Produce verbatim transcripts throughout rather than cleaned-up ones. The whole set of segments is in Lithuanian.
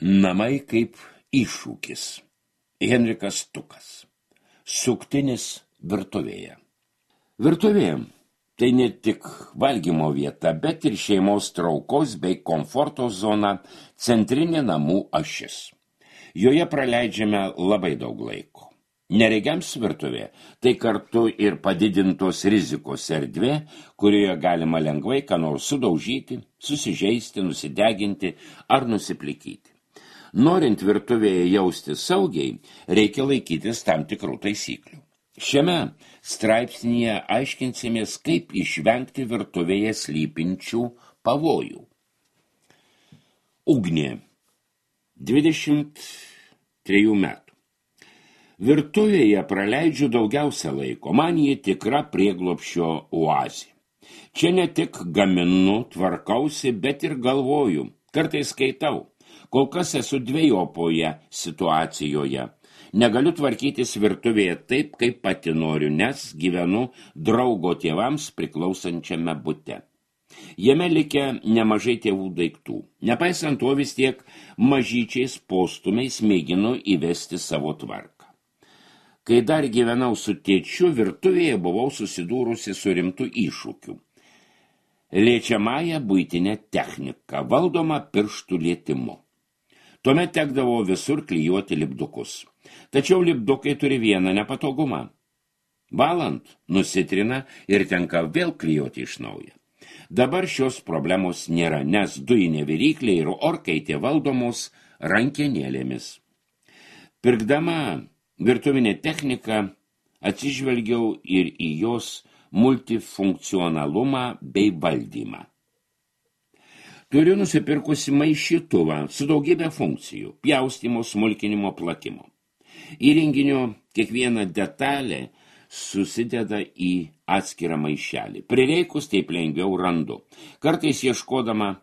Namai kaip iššūkis. Henrikas Tukas. Suktinis virtuvėje. Virtuvė tai ne tik valgymo vieta, bet ir šeimos traukos bei komforto zona, centrinė namų ašis. Joje praleidžiame labai daug laiko. Neregiams virtuvė tai kartu ir padidintos rizikos erdvė, kurioje galima lengvai ką nors sudaužyti, susižeisti, nusideginti ar nusiplikyti. Norint virtuvėje jausti saugiai, reikia laikytis tam tikrų taisyklių. Šiame straipsnyje aiškinsimės, kaip išvengti virtuvėje slypinčių pavojų. Ugnė, dvidešimt trejų metų. Virtuvėje praleidžiu daugiausia laiko, man jį tikra prieglobščio oazė. Čia ne tik gaminu, tvarkausi, bet ir galvoju, kartais skaitau. Kol kas esu dvejopoje situacijoje. Negaliu tvarkytis virtuvėje taip, kaip pati noriu, nes gyvenu draugo tėvams priklausančiame bute. Jame likę nemažai tėvų daiktų. Nepaisant to, vis tiek mažyčiais postumiais mėginu įvesti savo tvarką. Kai dar gyvenau su tėčiu, virtuvėje buvau susidūrusi su rimtu iššūkiu. Liečiamąją buitinę techniką, valdoma pirštų lietimu. Tuomet tekdavo visur klijuoti lipdukus. Tačiau lipdukai turi vieną nepatogumą. Valant nusitrina ir tenka vėl klijuoti iš naujo. Dabar šios problemos nėra, nes dujinė viryklė ir orkaitė valdomos rankenėlėmis. Pirkdama virtuvinę techniką atsižvelgiau ir į jos multifunkcionalumą bei valdymą. Turiu nusipirkusi maišytuvą su daugybė funkcijų, pjaustymo, smulkinimo, plakimo. Įrenginio kiekviena detalė susideda į atskirą maišelį. Prireikus taip lengviau randu. Kartais ieškodama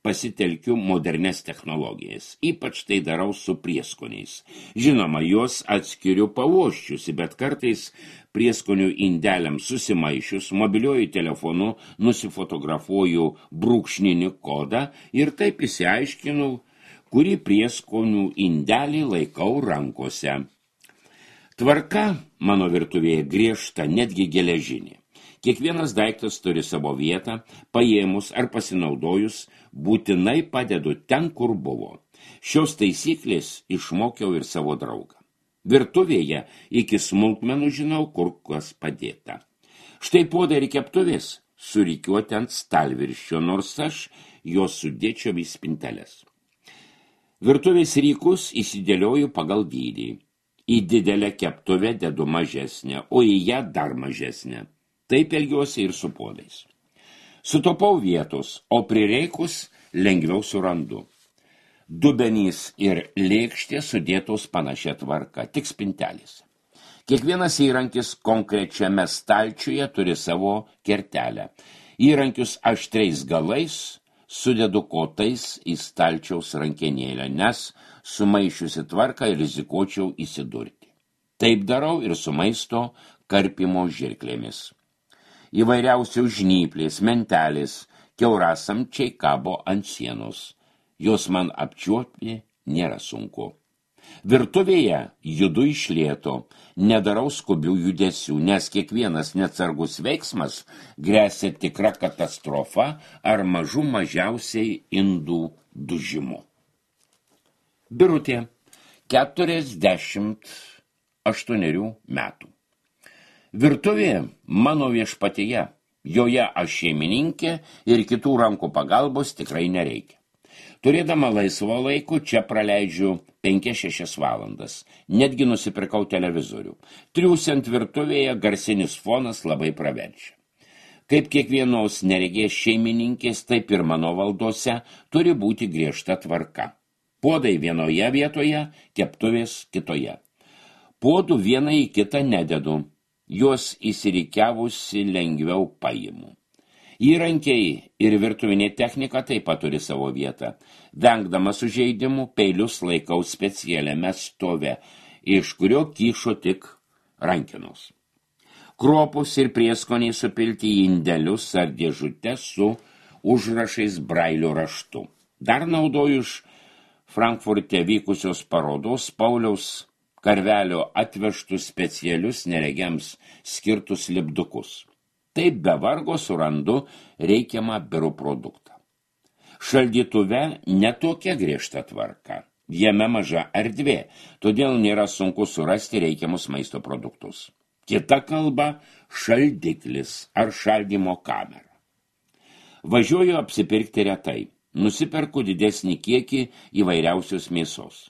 pasitelkiu modernes technologijas. Ypač tai darau su prieskoniais. Žinoma, juos atskiriu pavoščiusi, bet kartais prieskonių indeliams susimaišius, mobiliuoju telefonu nusifotografuoju brūkšninį kodą ir taip išsiaiškinu, kurį prieskonių indelį laikau rankose. Tvarka mano virtuvėje griežta, netgi geležinė. Kiekvienas daiktas turi savo vietą, paėmus ar pasinaudojus, būtinai padedu ten, kur buvo. Šios taisyklės išmokiau ir savo draugą. Virtuvėje iki smulkmenų žinau, kur kas padėta. Štai puodai ir keptuvės surikiuoti ant stalvirščio, nors aš juos sudėčiau į spinteles. Virtuvės rykus įsidėlioju pagal dydį. Į didelę keptuvę dedu mažesnę, o į ją dar mažesnę. Taip elgiuosi ir su puodais. Sutopau vietos, o prireikus lengviau surandu. Dubenys ir lėkštė sudėtos panašia tvarka, tik spintelės. Kiekvienas įrankis konkrečiame stalčiuje turi savo kertelę. Įrankius aštriais galais sudedu kotais į stalčiaus rankenėlę, nes sumaišiusi tvarką rizikuočiau įsidurti. Taip darau ir su maisto karpimo žirklėmis. Įvairiausių žnyplės, mentelės, kiaurasamčiai kabo ant sienos. Jos man apčiuopti nėra sunku. Virtuvėje judu iš lėto, nedarau skubių judesių, nes kiekvienas neatsargus veiksmas gresia tikra katastrofa ar mažų mažiausiai indų dužimu. Birutė, keturiasdešimt aštuonerių metų. Virtuvė mano viešpatyje, joje aš šeimininkė ir kitų rankų pagalbos tikrai nereikia. Turėdama laisvo laiko, čia praleidžiu penkias šešias valandas. Netgi nusipirkau televizorių. Triūsiant virtuvėje garsinis fonas labai praverčia. Kaip kiekvienos neregės šeimininkės, taip ir mano valdose turi būti griežta tvarka. Puodai vienoje vietoje, keptuvės kitoje. Puodų vieną į kitą nededu. Juos įsirikiavusi lengviau paimu. Įrankiai ir virtuvinė technika taip pat turi savo vietą. Vengdama sužeidimų, peilius laikau specialiame stove, iš kurio kyšo tik rankenos. Kruopus ir prieskoniai supilti į indelius ar dėžutes su užrašais brailio raštu. Dar naudoju iš Frankfurte vykusios parodos Pauliaus Karvelio atvežtus specialius neregiams skirtus lipdukus. Taip be vargo surandu reikiamą biurų produktą. Šaldytuve netokia griežta tvarka. Jame maža erdvė, todėl nėra sunku surasti reikiamus maisto produktus. Kita kalba – šaldiklis ar šaldymo kamera. Važiuoju apsipirkti retai. Nusiperku didesnį kiekį įvairiausios mėsos.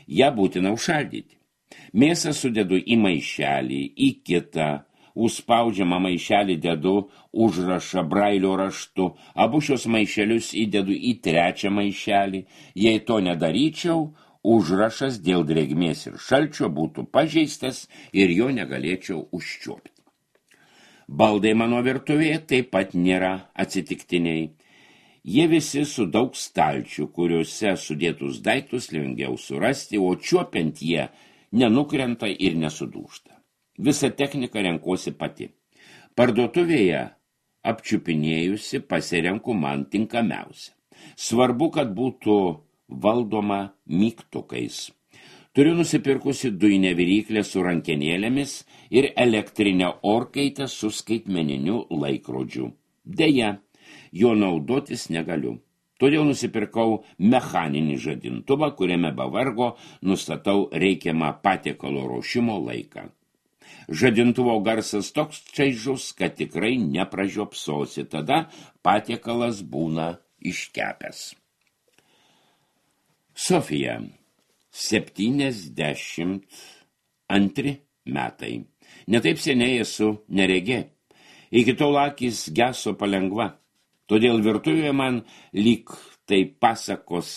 Ja būtina užšaldyti. Mėsą sudedu į maišelį, į kitą, užspaudžiamą maišelį dedu užrašą brailio raštu, abu šios maišelius įdedu į trečią maišelį. Jei to nedaryčiau, užrašas dėl drėgmės ir šalčio būtų pažeistas ir jo negalėčiau užčiuopti. Baldai mano virtuvėje taip pat nėra atsitiktiniai. Jie visi su daug stalčių, kuriuose sudėtus daiktus lengviau surasti, o čiuopiant jie nenukrenta ir nesudūžta. Visą techniką renkuosi pati. Parduotuvėje apčiupinėjusi pasirenku man tinkamiausią. Svarbu, kad būtų valdoma mygtukais. Turiu nusipirkusi dujinę viryklę su rankenėlėmis ir elektrinę orkaitę su skaitmeniniu laikrodžiu. Deja, jo naudotis negaliu. Todėl nusipirkau mechaninį žadintuvą, kuriame be vargo nustatau reikiamą patiekalo ruošimo laiką. Žadintuvo garsas toks čaižus, kad tikrai nepražiopsosi, tada patiekalas būna iškepęs. Sofija, septyniasdešimt antri metai. Netaip seniai esu neregė. Iki tol akys geso palengva. Todėl virtuvėje man lyg tai pasakos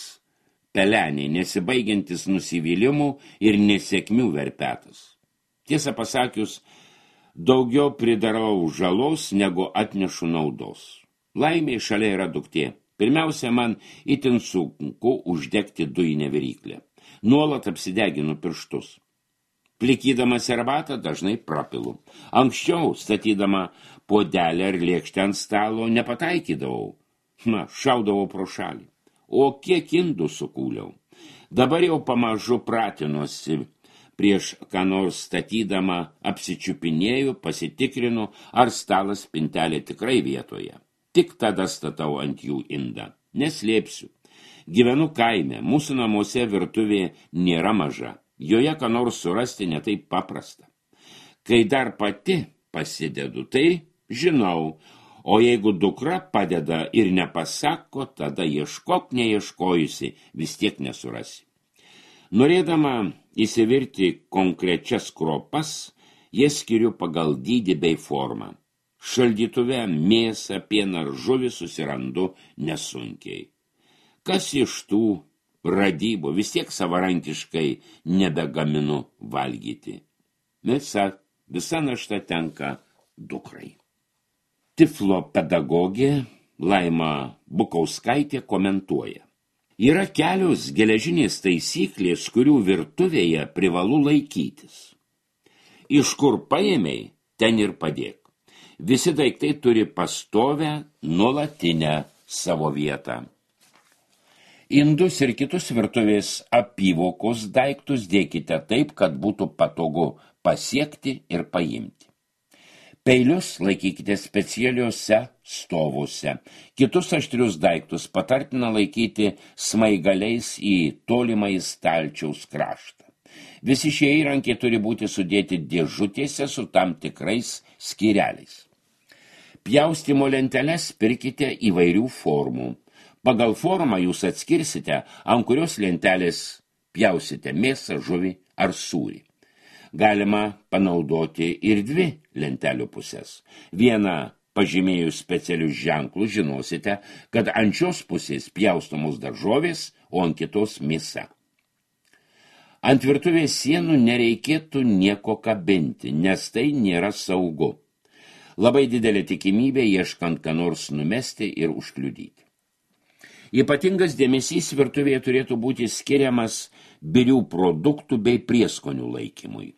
peleniai, nesibaigiantis nusivylimų ir nesėkmių verpetas. Tiesą pasakius, daugiau pridarau žalos, negu atnešu naudos. Laimė šalia yra duktė. Pirmiausia, man itin sunku uždegti dujinę viryklę. Nuolat apsideginu pirštus. Plikydama serbatą dažnai prapilu. Anksčiau, statydama puodelę ar lėkštę ant stalo, nepataikydavau. Na, šaudavau pro šalį. O kiek indų sukūliau. Dabar jau pamažu pratinuosi. Prieš ką nors statydama apsičiupinėjau, pasitikrinu, ar stalas spintelė tikrai vietoje. Tik tada statau ant jų indą. Neslėpsiu. Gyvenu kaime, mūsų namuose virtuvė nėra maža. Joje ką nors surasti netaip paprasta. Kai dar pati pasidedu, tai žinau, o jeigu dukra padeda ir nepasako, tada ieškok neieškojusi, vis tiek nesurasi. Norėdama įsivirti konkrečias kropas, jas skiriu pagal dydį bei formą. Šaldytuve mėsą, pieną ar žuvį susirandu nesunkiai. Kas iš tų radybų, vis tiek savarankiškai nebegaminu valgyti. Visa, visa našta tenka dukrai. Tiflo pedagogė Laima Bukauskaitė komentuoja. Yra kelios geležinės taisyklės, kurių virtuvėje privalu laikytis. Iš kur paėmei, ten ir padėk. Visi daiktai turi pastovę, nuolatinę savo vietą. Indus ir kitus virtuvės apyvokos daiktus dėkite taip, kad būtų patogu pasiekti ir paimti. Peilius laikykite specialiuose stovuose. Kitus aštrius daiktus patartina laikyti smaigaliais į tolimą į stalčiaus kraštą. Visi šie įrankiai turi būti sudėti dėžutėse su tam tikrais skyreliais. Pjaustymo lenteles pirkite įvairių formų. Pagal formą jūs atskirsite, ant kurios lentelės pjausite mėsą, žuvį ar sūrį. Galima panaudoti ir dvi lentelių pusės. Vieną pažymėjus specialius ženklus žinosite, kad ant šios pusės pjaustomos daržovės, o ant kitos mėsa. Ant virtuvės sienų nereikėtų nieko kabinti, nes tai nėra saugu. Labai didelė tikimybė ieškant ką nors numesti ir užkliudyti. Ypatingas dėmesys virtuvėje turėtų būti skiriamas birių produktų bei prieskonių laikymui.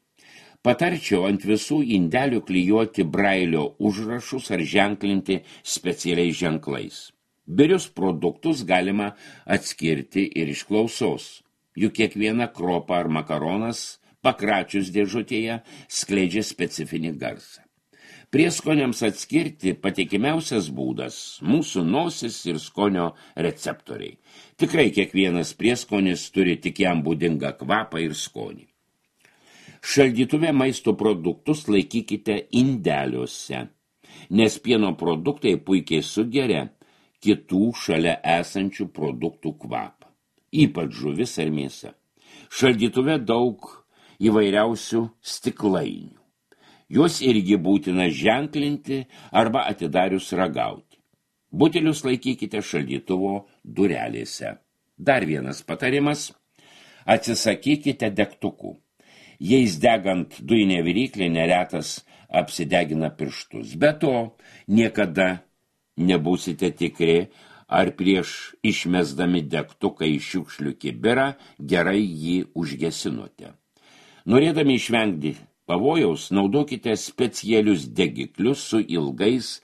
Patarčiau ant visų indelių klijuoti brailio užrašus ar ženklinti specialiais ženklais. Birius produktus galima atskirti ir iš klausos, juk kiekviena kropa ar makaronas pakračius dėžutėje skleidžia specifinį garsą. Prieskoniams atskirti patikimiausias būdas – mūsų nosis ir skonio receptoriai. Tikrai kiekvienas prieskonis turi tik jam būdingą kvapą ir skonį. Šaldytuve maisto produktus laikykite indeliuose, nes pieno produktai puikiai sugeria kitų šalia esančių produktų kvapą, ypač žuvis ar mėsa. Šaldytuve daug įvairiausių stiklainių. Juos irgi būtina ženklinti arba atidarius ragauti. Butelius laikykite šaldytuvo durelėse. Dar vienas patarimas – atsisakykite degtukų. Jais degant dujinė viryklė neretas apsidegina pirštus. Be to, niekada nebūsite tikri, ar prieš išmesdami degtuką į šiukšlių kibirą gerai jį užgesinote. Norėdami išvengti pavojaus, naudokite specialius degiklius su ilgais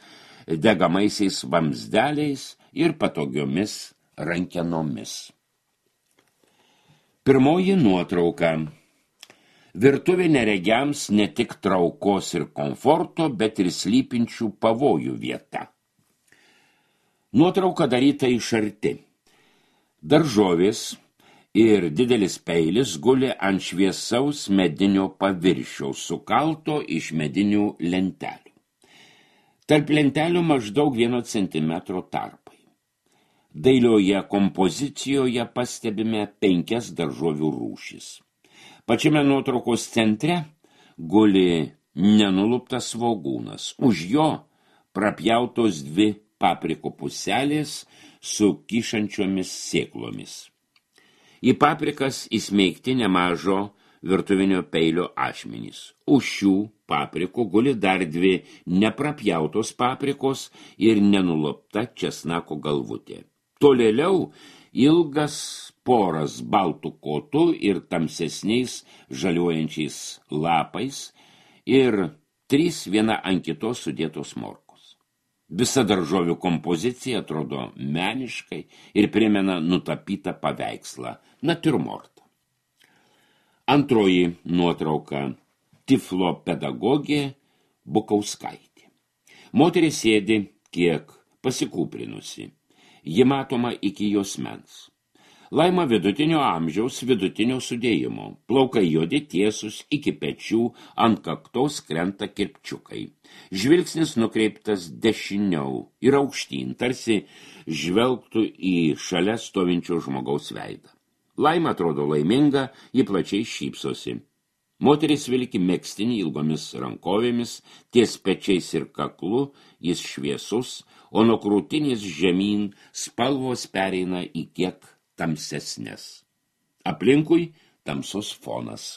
degamaisiais vamzdeliais ir patogiomis rankenomis. Pirmoji nuotrauka. Virtuvė neregiams ne tik traukos ir komforto, bet ir slypinčių pavojų vieta. Nuotrauka daryta iš arti. Daržovės ir didelis peilis guli ant šviesaus medinio paviršiaus, sukalto iš medinių lentelių. Tarp lentelių maždaug vieno centimetro tarpai. Dailioje kompozicijoje pastebime penkias daržovių rūšis. Pačiame nuotraukos centre guli nenuluptas svogūnas. Už jo prapjautos dvi paprikų puselės su kyšančiomis sėklomis. Į paprikas įsmeigti nemažo virtuvinio peilio ašmenys. Už šių paprikų guli dar dvi neprapjautos paprikos ir nenulupta česnako galvutė. Tolėliau ilgas poras baltų kotų ir tamsesniais žaliuojančiais lapais ir trys viena ant kitos sudėtos morkos. Visa daržovių kompozicija atrodo meniškai ir primena nutapytą paveikslą natiurmortą. Antroji nuotrauka – tiflo pedagogė Bukauskaitė. Moteris sėdi kiek pasikūprinusi. Ji matoma iki juosmens. Laima vidutinio amžiaus, vidutinio sudėjimo. Plaukai juodi tiesus iki pečių, ant kaktos krenta kirpčiukai. Žvilgsnis nukreiptas dešiniau ir aukštyn, tarsi žvelgtų į šalia stovinčio žmogaus veidą. Laima atrodo laiminga, ji plačiai šypsosi. Moteris vilki megztinį ilgomis rankovėmis, ties pečiais ir kaklu, jis šviesus, o nuo krūtinės žemyn spalvos pereina į kiek tamsesnės. Aplinkui tamsus fonas.